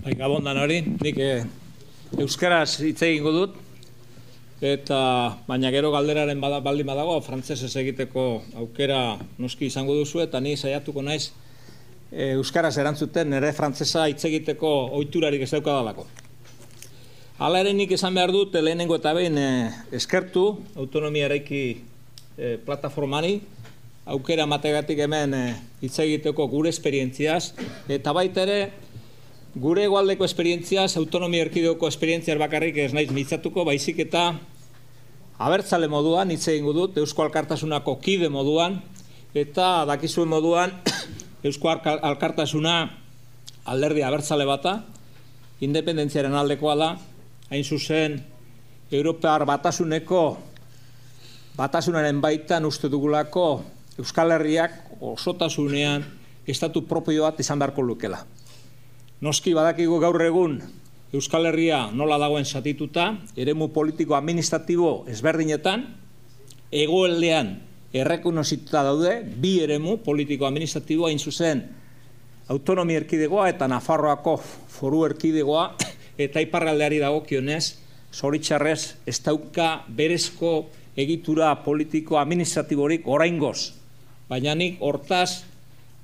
Gabondan hori, nik euskaraz hitz egingo dut, eta baina gero galderaren baldin badago, frantsesez egiteko aukera noski izango duzu, eta ni saiatuko naiz euskaraz erantzuten nire frantsesa hitz egiteko ohiturarik ez daukadalako. Hala ere nik esan behar dut, lehenengo eta behin eskertu autonomia eraiki plataformani, aukera mategatik hemen hitz egiteko gure esperientziaz, eta baita ere, gure hegoaldeko esperientziaz, autonomia erkidegoko esperientziaz bakarrik ez naiz mintzatuko, baizik eta abertzale moduan, hitz egingo dut, Eusko Alkartasunako kide moduan, eta dakizuen moduan, Eusko Alkartasuna alderdi abertzale bata, independentziaren aldekoa da, hain zuzen, Europar batasunaren baitan uste dugulako Euskal Herriak osotasunean estatu propio bat izan beharko lukela. Noski badakigu gaur egun Euskal Herria nola dagoen zatituta, eremu politiko-administratibo ezberdinetan, hegoaldean errekonozituta daude, bi eremu politiko-administratiboa hain zuzen autonomia erkidegoa eta Nafarroako foru erkidegoa, eta iparraldeari dagokionez, zoritxarrez ez dauka berezko egitura politiko-administratiborik oraingoz. Baina nik hortaz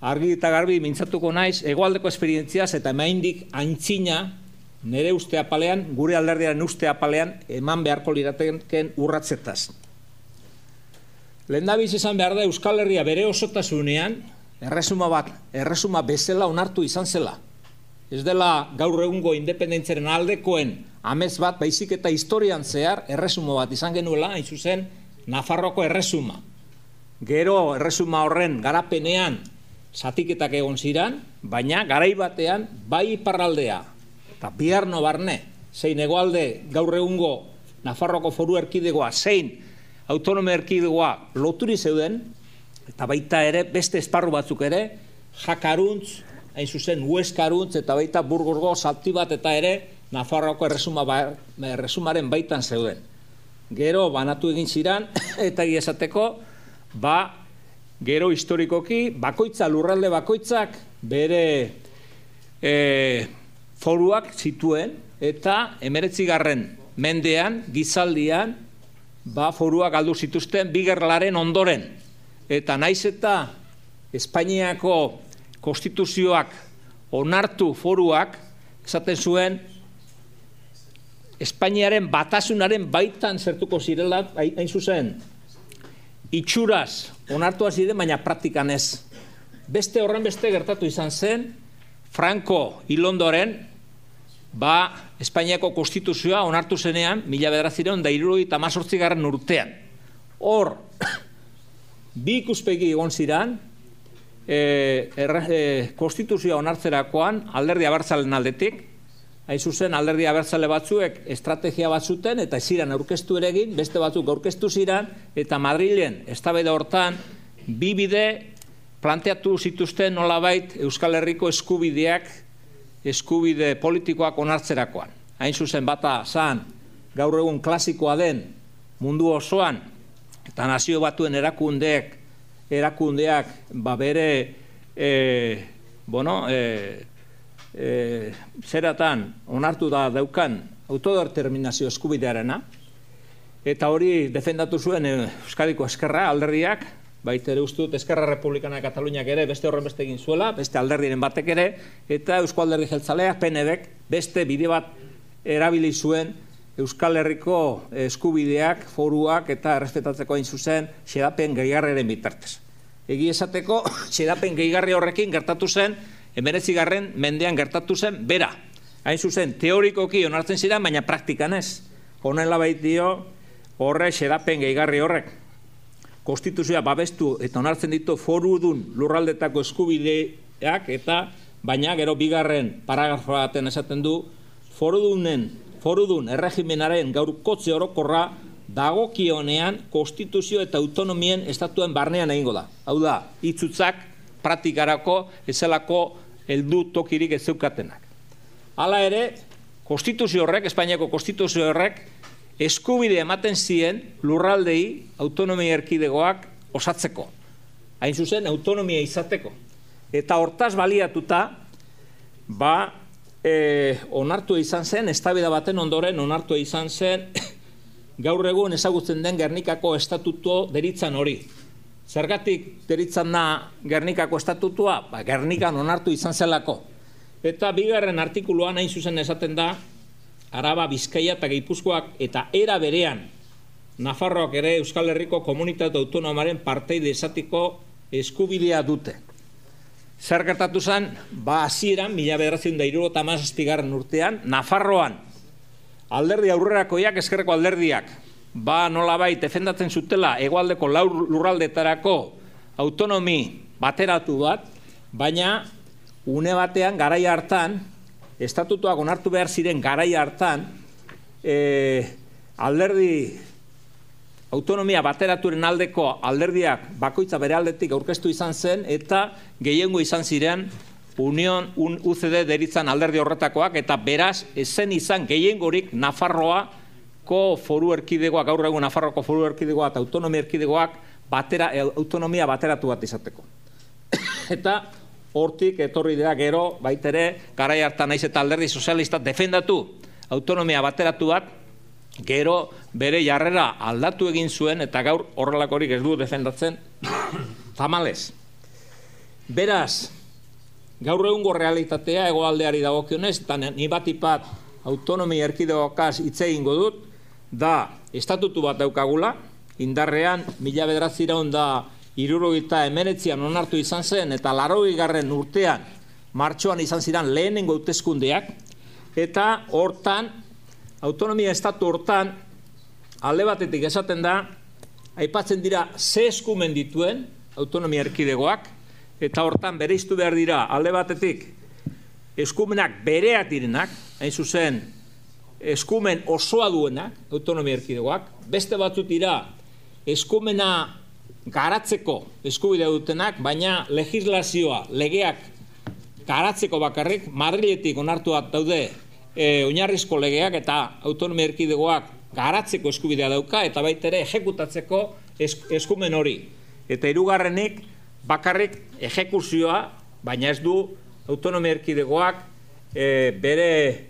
argi eta garbi mintzatuko naiz, hegoaldeko esperientziaz eta emaindik aintzina nire uste apalean, gure alderdiaren uste apalean, eman beharko lirateken urratzetaz. Lehendabiz izan behar da Euskal Herria bere osotasunean, erresuma bezala onartu izan zela. Ez dela gaur egungo independentziaren aldekoen amets bat, baizik eta historian zehar erresuma bat izan genuela, hain zuzen Nafarroko erresuma. Gero erresuma horren garapenean zatiketak egon ziran, baina garai batean bai iparraldea eta Biarno barne, zein hegoalde gaur egungo Nafarroko foru erkidegoa, zein autonomia erkidegoa loturi zeuden, eta baita ere beste esparru batzuk ere, Jakaruntz, hain zuzen Hueskaruntz, eta baita Burgosgo zati bat eta ere Nafarroko erresumaren baitan zeuden. Gero banatu egin ziran, eta esateko, gero historikoki, lurralde bakoitzak bere foruak zituen, eta 19. mendean, gizaldian, foruak galdu zituzten bi gerlaren ondoren. Eta naiz eta Espainiako konstituzioak onartu foruak, esaten zuen, Espainiaren batasunaren baitan zertuko zirela, hain zuzen, itxuraz onartua ziren, baina praktikan ez. Beste horren beste gertatu izan zen, Franco hil ondoren, Espainiako konstituzioa onartu zenean, 1978 urtean. Hor, bi ikuspegi egon ziren, konstituzioa onartzerakoan, alderdi abertzalen aldetik, hain zuzen alderdi abertzale batzuek estrategia bat zuten, eta ziren aurkeztu ere egin, beste batzuk aurkeztu ziren, eta Madrilen, eztabaida hortan, bi bide planteatu zituzten nolabait Euskal Herriko eskubide politikoak onartzerakoan. Hain zuzen bata zan, gaur egun klasikoa den mundu osoan, eta nazio batuen erakundeak bere zeratan onartu da daukan autodeterminazio eskubidearena, eta hori defendatu zuen Euskadiko Eskerra alderdiak, baita ere uste dut Eskerra Republikana Kataluniak ere beste horren beste egin zuela, beste alderdiren batek ere, eta Eusko Alderdi Jeltzaleak, PNVek, beste bide bat erabili zuen Euskal Herriko eskubideak, foruak eta errespetatzeko hain zuzen xedapen gehigarriaren bitartez. Egi esateko, xedapen gehigarri horrekin gertatu zen, 19. mendean gertatu zen, bera. Hain zuzen, teorikoki onartzen ziren, baina praktikan ez. Honela baitio, horre xedapen gehigarri horrek. Konstituzioa babestu eta onartzen ditu forudun lurraldetako eskubideak, eta baina gero bigarren paragrafo baten esaten du, forudun erregimenaren gaurkotze orokorra dagokionean konstituzio eta autonomien estatuen barnean egingo da. Hau da, hitzutzak praktikarako ezelako heldu tokirik ez zeukatenak. Hala ere, konstituzio horrek, Espainiako konstituzio horrek, eskubide ematen zien lurraldei autonomia erkidegoak osatzeko. Hain zuzen, autonomia izateko. Eta hortaz baliatuta, onartu izan zen, eztabaida baten ondoren onartu izan zen, gaur egun ezagutzen den Gernikako estatuto deritzan hori. Zergatik deritzan da Gernikako estatutua? Gernikan onartu izan zelako. Eta bigarren artikuluan hain zuzen esaten da, Araba, Bizkaia eta Gipuzkoak eta era berean Nafarroak ere Euskal Herriko komunitate autonomaren parteide izateko eskubidea dute. Zer gertatu zen, hasieran 1977 urtean, Nafarroan alderdi aurrerakoiak, ezkerreko alderdiak, nolabait defendatzen zutela hegoaldeko lurraldetarako autonomi bateratu bat, baina une batean garai hartan, estatutuak onartu behar ziren garai hartan, alderdi autonomia bateraturen aldeko alderdiak bakoitza bere aldetik aurkeztu izan zen, eta gehiengo izan ziren UCD deritzan alderdi horretakoak, eta beraz, ezen izan gehiengorik Nafarroako foru erkidegoak, gaur egun Nafarroako foru erkidegoak eta autonomia erkidegoak autonomia bateratu bat izateko. Eta hortik etorri dira gero, baitere, garai hartan naiz eta alderdi sozialista defendatu autonomia bateratu bat, gero bere jarrera aldatu egin zuen, eta gaur horrelakorik ez du defendatzen tamalez. Beraz, gaur egungo realitatea hegoaldeari dagokionez, eta ni batipat autonomia erkidegoakaz hitz egingo dut, da estatutu bat daukagula, indarrean 1979an onartu izan zen, eta 80. urtean martxoan izan ziren lehenengo hauteskundeak, eta hortan, autonomia estatu hortan, alde batetik esaten da, aipatzen dira ze eskumen dituen autonomia erkidegoak, eta hortan bereiztu behar dira alde batetik eskumenak bereak direnak, hain zuzen eskumen osoa duenak autonomia erkidegoak, beste batzut dira eskumena garatzeko eskubidea dutenak, baina legislazioa, legeak garatzeko bakarrik, Madriletik onartuak daude oinarrizko legeak eta autonomia erkidegoak garatzeko eskubidea dauka, eta baitere ejekutatzeko eskumen hori. Eta hirugarrenik bakarrik ejekuzioa, baina ez du autonomia erkidegoak bere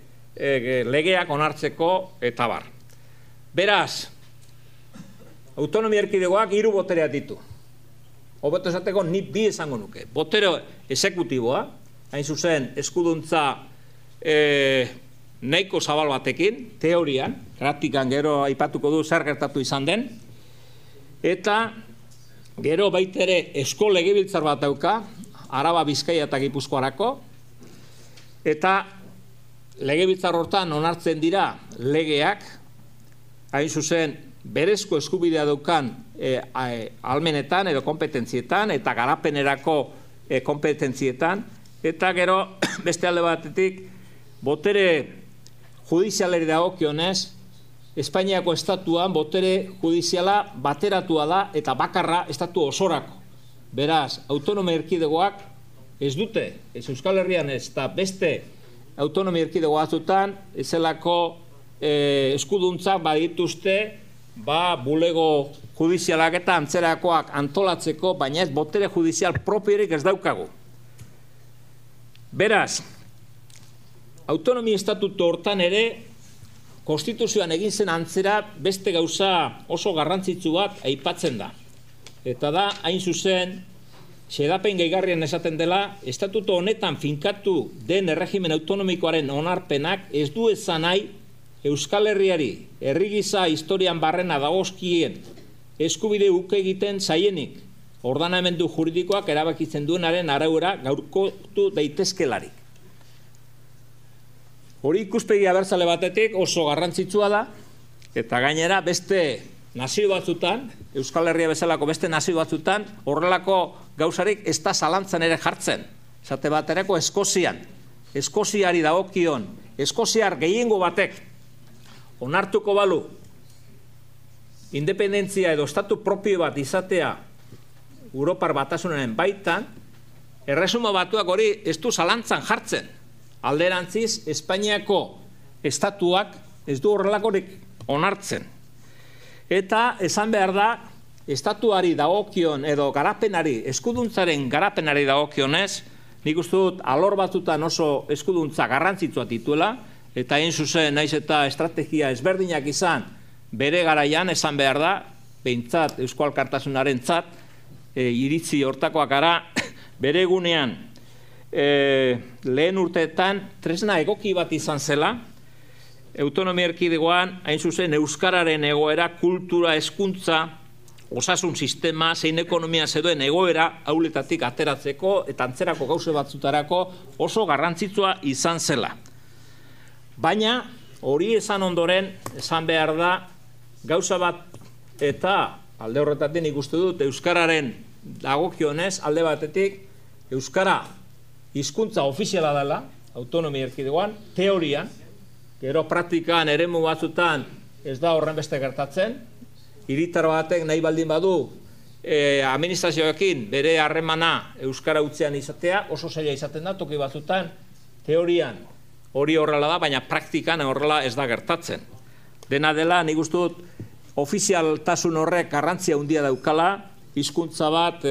legeak onartzeko eta bar. Beraz, autonomia erkidegoak 3 botereak ditu. Hobeto esateko ni 2 esango nuke. Botere exekutiboa, hain zuzen eskuduntza nahiko zabal batekin, teorian, praktikan gero aipatuko du zer gertatu izan den, eta gero baitere esko legebiltzar bat dauka, Araba, Bizkaia eta Gipuzkoarako, eta legebiltzar hortan onartzen dira legeak, hain zuzen berezko eskubidea daukan almenetan edo kompetentzietan eta garapenerako kompetentzietan, eta gero beste alde batetik botere judizialeri dagokionez, Espainiako estatuan botere judiziala bateratua da eta bakarra estatu osorako. Beraz, autonomia erkidegoak ez dute, ez Euskal Herrian ez eta beste autonomia erkidego batzutan, ezelako eskuduntzak badituzte, bulego judizialak eta antzerakoak antolatzeko, baina ez botere judizial propiorik ez daukagu. Beraz, autonomia estatuto hortan ere, konstituzioan egin zen antzera beste gauza oso garrantzitsu bat aipatzen da. Eta da, hain zuzen, xedapen gehigarrian esaten dela, estatuto honetan finkatu den erregimen autonomikoaren onarpenak ez du esan nahi Euskal Herriari, herri gisa historian barrena dagozkien eskubide uke egiten zaienik, ordenamendu juridikoak erabakitzen duenaren araura gaurkotu daitezkelarik. Hori ikuspegi abertzale batetik oso garrantzitsua da, eta gainera beste nazio batzutan, Euskal Herria bezalako beste nazio batzutan, horrelako gauzarik ez da zalantzan ere jartzen. Zate baterako Eskozian, Eskoziari dagokion, Eskoziar gehiengo batek onartuko balu independentzia edo estatu propio bat izatea Europar Batasunaren baitan, Erresuma Batuak hori ez du zalantzan jartzen. Alderantziz, Espainiako estatuak ez du horrelakorik onartzen. Eta esan behar da, estatuari dagokion edo garapenari, eskuduntzaren garapenari dagokionez, nik uste dut alor batzutan oso eskuduntza garrantzitsua dituela, eta hain zuzen naiz eta estrategia ezberdinak izan bere garaian esan behar da, behintzat Eusko Alkartasunaren iritzi hortakoak gara, bere egunean lehen urteetan tresna egoki bat izan zela, autonomia erkidegoan hain zuzen euskararen egoera, kultura, hezkuntza, osasun sistema, zein ekonomia zedoen egoera hauletatik ateratzeko eta antzerako gauze batzutarako oso garrantzitsua izan zela. Baina hori esan ondoren, esan behar da, gauza bat eta alde horretatik ikuste dut euskararen dagokionez, alde batetik euskara hizkuntza ofiziala dela, autonomia erkidegoan, teorian, gero praktikan eremu batzutan ez da horren beste gertatzen, hiritar batek nahi baldin badu administrazioekin bere harremana euskara utzean izatea, oso zaila izaten da, toki batzutan, teorian hori horrela da, baina praktikan horrela ez da gertatzen. Dena dela, nik uste dut, ofizialtasun horrek garrantzia handia daukala, hizkuntza bat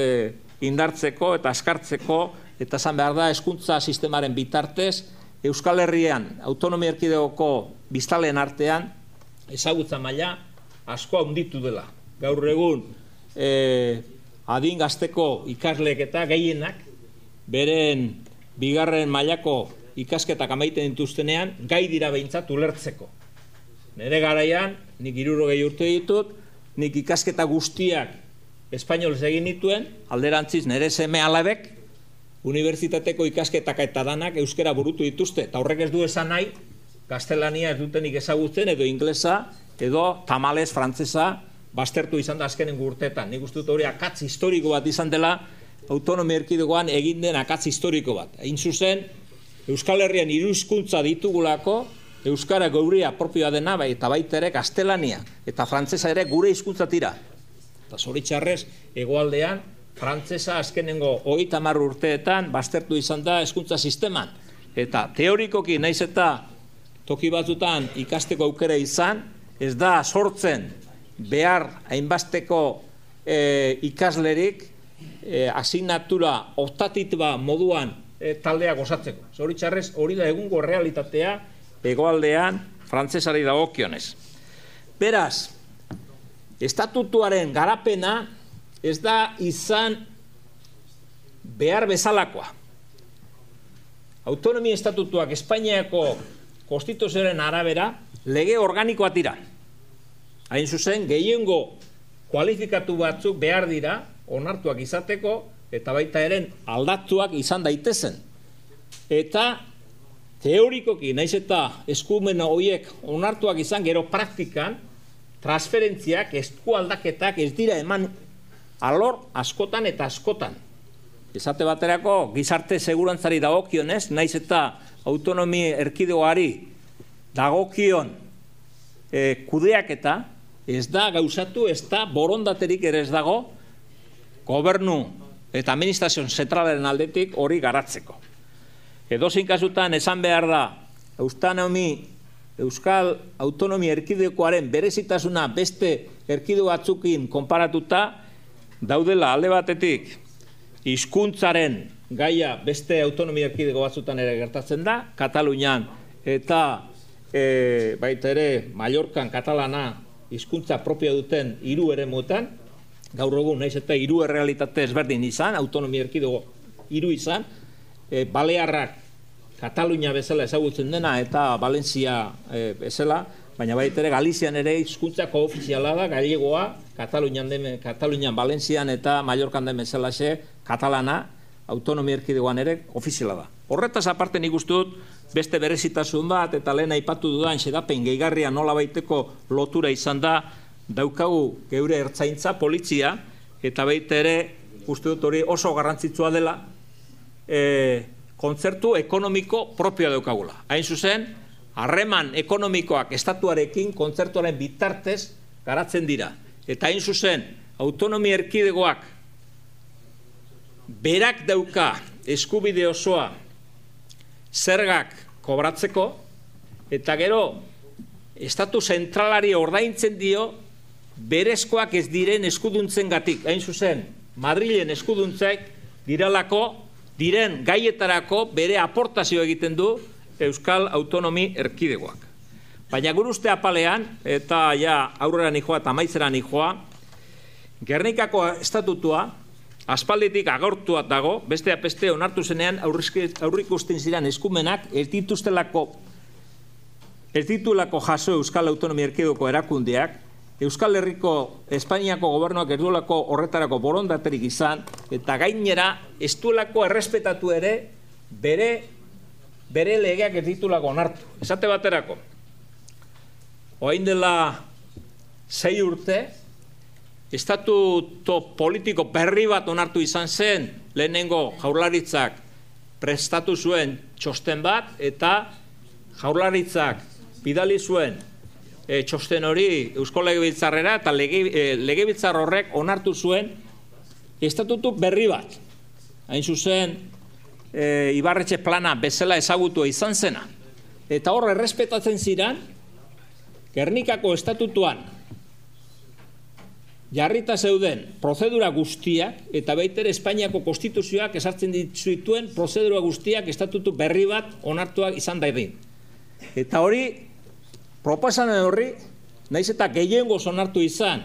indartzeko eta askartzeko, eta esan behar da, hezkuntza sistemaren bitartez, Euskal Herrian, autonomia erkidegoko biztanleen artean, ezagutza maila asko handitu dela. Gaur egun, adin gazteko ikasleek eta gehienak, beren bigarren mailako ikasketak amaiten dituztenean, gai dira behintzat ulertzeko. Nere garaian, nik 60 urte ditut, nik ikasketa guztiak espainolez egin nituen, alderantziz nere seme alabek, unibertsitateko ikasketak eta danak euskera burutu dituzte, eta horrek ez du esan nahi, gaztelania ez dutenik ezagutzen, edo inglesa, edo tamalez, frantzesa, baztertu izan da azkenen urteetan. Nik uste dut hori akatz historiko bat izan dela, autonomia erkidegoan egin den akatz historiko bat. Hain zuzen, Euskal Herrian 3 hizkuntza ditugulako, euskara geurea propioa dena, eta baita ere gaztelania, eta frantzesa ere gure hizkuntza tira. Eta zoritxarrez, hegoaldean, frantzesa azkenengo 30 urteetan baztertu izan da hezkuntza sisteman. Eta teorikoki naiz eta toki batzutan ikasteko aukera izan, ez da sortzen behar hainbasteko ikaslerik asignatura optatiba moduan taldeak osatzeko. Zoritxarrez hori da egungo realitatea hegoaldean frantsesari dagokionez. Beraz, estatutuaren garapena ez da izan behar bezalakoa. Autonomia estatutuak Espainiako konstituzioaren arabera lege organikoa dira. Hain zuzen, gehiengo kualifikatu batzuk behar dira, onartuak izateko, eta baita eren aldatuak izan daitezen. Eta teorikoki, naiz eta eskumen horiek onartuak izan, gero praktikan, transferentziak, eskualdaketak ez dira eman alor askotan eta askotan. Esate baterako, gizarte segurantzari dagokionez, naiz eta autonomia erkidegoari dagokion kudeaketa, ez da gauzatu, ez da borondaterik ere ez dago, gobernu eta administrazio zentralaren aldetik hori garatzeko. Edozein kasutan esan behar da, Euskal Autonomia Erkidegoaren berezitasuna beste erkidego batzukin konparatuta, daudela alde batetik hizkuntzaren gaia beste autonomia erkidego batzutan ere gertatzen da, Katalunian eta baita ere Mallorcan katalana hizkuntza propio duten 3 eremuetan, gaur egun naiz eta 3 errealitate ezberdin izan, autonomia erkidego 3 izan, Balearrak Katalunia bezala ezagutzen dena eta Valentzia bezala, baina baita ere Galizian ere hizkuntza koofiziala da, gallegoa, Katalunian, Valentzian eta Mallorcan den bezalaxe, katalana, autonomia erkidegoan ere ofiziala da. Horretaz aparte nik uste dut beste berezitasun bat eta lehen aipatu dudan xedapen gehigarria nola baiteko lotura izan da daukagu geure ertzaintza, polizia, eta baita ere uste dut hori oso garrantzitsua dela kontzertu ekonomiko propioa daukagula. Hain zuzen, harreman ekonomikoak estatuarekin kontzertuaren bitartez garatzen dira. Eta hain zuzen, autonomia erkidegoak berak dauka eskubide osoa zergak kobratzeko, eta gero, estatu zentralari ordaintzen dio berezkoak ez diren eskuduntzen gatik. Hain zuzen, Madrilen eskuduntzek diralako diren gaietarako bere aportazio egiten du Euskal Autonomi Erkidegoak. Baina gure uste apalean, eta ja aurrera nijoa eta amaitzera nijoa, Gernikako estatutua aspalditik agortua dago, besteak beste onartu zenean aurrikusten ziren eskumenak ez ditulako jaso Euskal Autonomia Erkidegoko erakundeak, Euskal Herriko Espainiako gobernuak ez duelako horretarako borondaterik izan, eta gainera ez duelako errespetatu ere bere legeak ez ditulako onartu. Esate baterako, orain dela 6 urte, estatuto politiko berri bat onartu izan zen, lehenengo Jaurlaritzak prestatu zuen txosten bat, eta Jaurlaritzak bidali zuen txosten hori Eusko Legebiltzarrera, eta Legebiltzar horrek onartu zuen estatutu berri bat. Hain zuzen, Ibarretxe plana bezala ezagutua izan zena. Eta hor errespetatzen ziren, Gernikako estatutuan jarrita zeuden prozedura guztiak, eta baitere Espainiako konstituzioak esartzen dituen prozedura guztiak estatutu berri bat onartuak izan daidin. Eta hori, proposamen horri, naiz eta gehiengoz onartu izan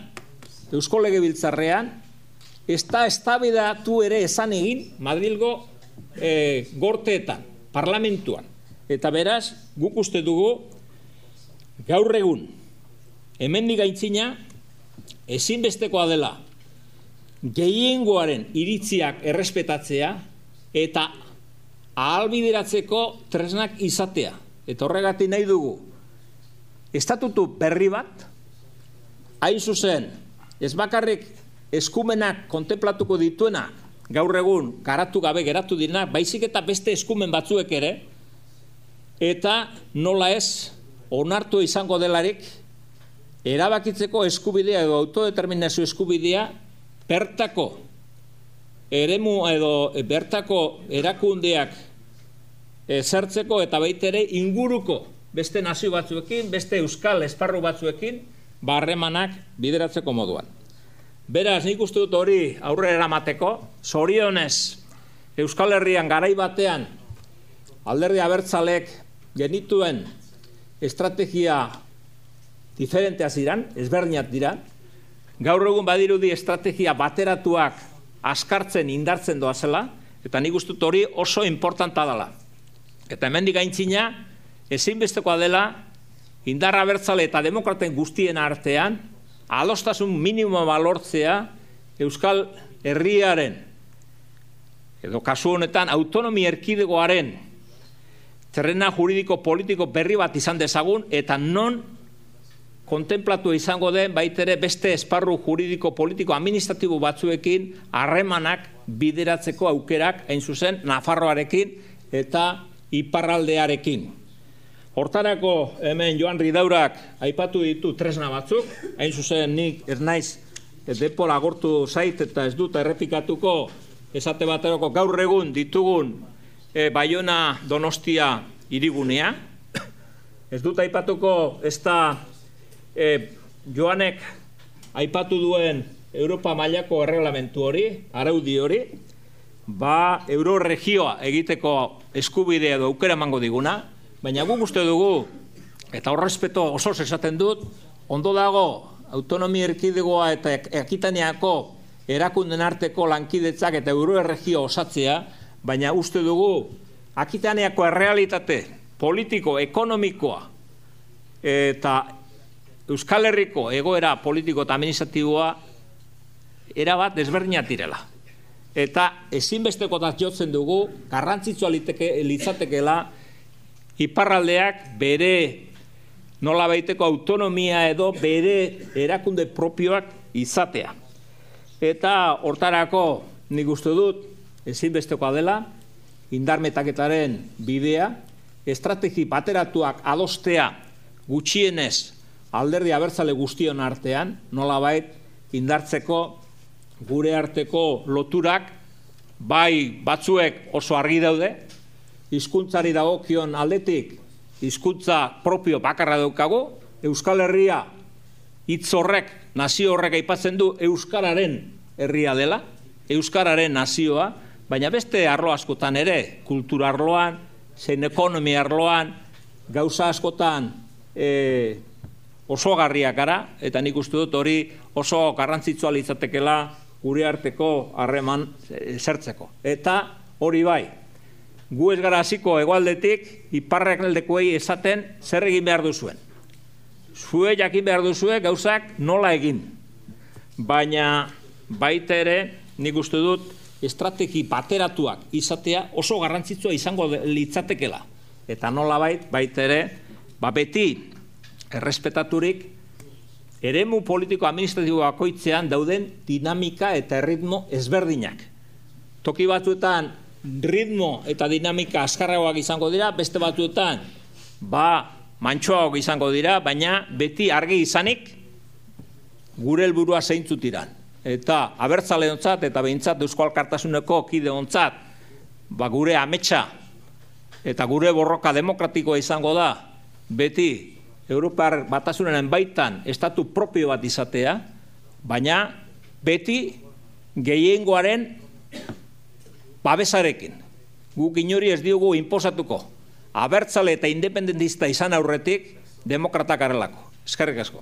Eusko Legebiltzarrean, ez da eztabaidatu ere esan egin Madrilgo gorteetan, parlamentuan. Eta beraz, guk uste dugu, gaur egun, hemendik aitzina, ezinbestekoa dela gehiengoaren iritziak errespetatzea eta ahalbideratzeko tresnak izatea. Eta horregatik nahi dugu estatutu berri bat, hain zuzen, ez bakarrik eskumenak kontemplatuko dituena gaur egun garatu gabe geratu direnak, baizik eta beste eskumen batzuek ere, eta nola ez onartu izango delarik erabakitzeko eskubidea edo autodeterminazio eskubidea bertako eremu edo bertako erakundeak zertzeko eta baitere inguruko beste nazio batzuekin, beste euskal esparru batzuekin, harremanak bideratzeko moduan. Beraz, nik uste dut hori aurrera eramateko, zorionez Euskal Herrian garai batean alderdi abertzalek genituen estrategia diferentea ziren, ezberdinak dira. Gaur egun badirudi estrategia bateratuak askartzen indartzen doazela, eta nik uste dut hori oso importanta dela. Eta hemendik aintzina, ezinbestekoa dela, indarra abertzale eta demokraten guztien artean, adostasun minimoa lortzea Euskal Herriaren, edo kasu honetan, autonomia erkidegoaren terrena juridiko politiko berri bat izan dezagun, eta non kontemplatu izango den baitere beste esparru juridiko politiko administratibo batzuekin harremanak bideratzeko aukerak, hain zuzen, Nafarroarekin eta iparraldearekin. Hortarako hemen Joan Ridaurak aipatu ditu tresna batzuk, hain zuzen nik ez naiz denbora agortu zait eta ez dut errepikatuko esate baterako gaur egun ditugun Baiona Donostia hirigunea. Ez dut aipatuko ez da Joanek aipatu duen Europa mailako erreglamentu hori, araudi hori, euroregioa egiteko eskubidea edo aukera emango diguna, baina guk uste dugu, eta horrespeto osoz esaten dut, ondo dago autonomia erkidegoa eta Akitaniako erakunden arteko lankidetzak eta euroregio osatzea, baina uste dugu Akitaniako errealitate politiko, ekonomikoa eta Euskal Herriko egoera politiko eta administratiboa erabat desberdinak direla. Eta ezinbestekotzat jotzen dugu, garrantzitsua litzatekeela iparraldeak bere nolabaiteko autonomia edo bere erakunde propioak izatea. Eta hortarako nik uste dut ezinbestekoa dela, indarmetaketaren bidea, estrategi bateratuak adostea gutxienez alderdi abertzale guztion artean, nolabait indartzeko gure arteko loturak, bai batzuek oso argi daude, hizkuntzari dagokion aldetik, hizkuntza propio bakarra daukagu, Euskal Herria hitz horrek, nazio horrek aipatzen du Euskararen herria dela, Euskararen nazioa, baina beste arlo askotan ere, kultura arloan, zein ekonomia arloan, gauza askotan oso garriak gara, eta nik uste dut hori oso garrantzitsua litzatekela gure arteko harreman zertzeko. Eta hori bai, gu ez gara hasiko hegoaldetik iparraldekoei esaten zer egin behar duzuen. Zue jakin behar duzue gauzak nola egin. Baina baita ere nik uste dut estrategi bateratuak izatea oso garrantzitsua izango litzatekela. Eta nola baita ere, beti errespetaturik eremu politiko administratibo bakoitzean dauden dinamika eta ritmo ezberdinak. Toki batzuetan ritmo eta dinamika azkarragoak izango dira, beste batzuetan mantsoagoak izango dira, baina beti argi izanik gure helburua zeintzuk diran. Eta abertzaleontzat eta behintzat Eusko Alkartasuneko kideontzat gure ametsa eta gure borroka demokratikoa izango da beti Europar Batasunaren baitan estatu propio bat izatea, baina beti gehiengoaren babesarekin. Guk inori ez diogu inposatuko. Abertzale eta independentista izan aurretik demokratak garelako. Eskerrik asko.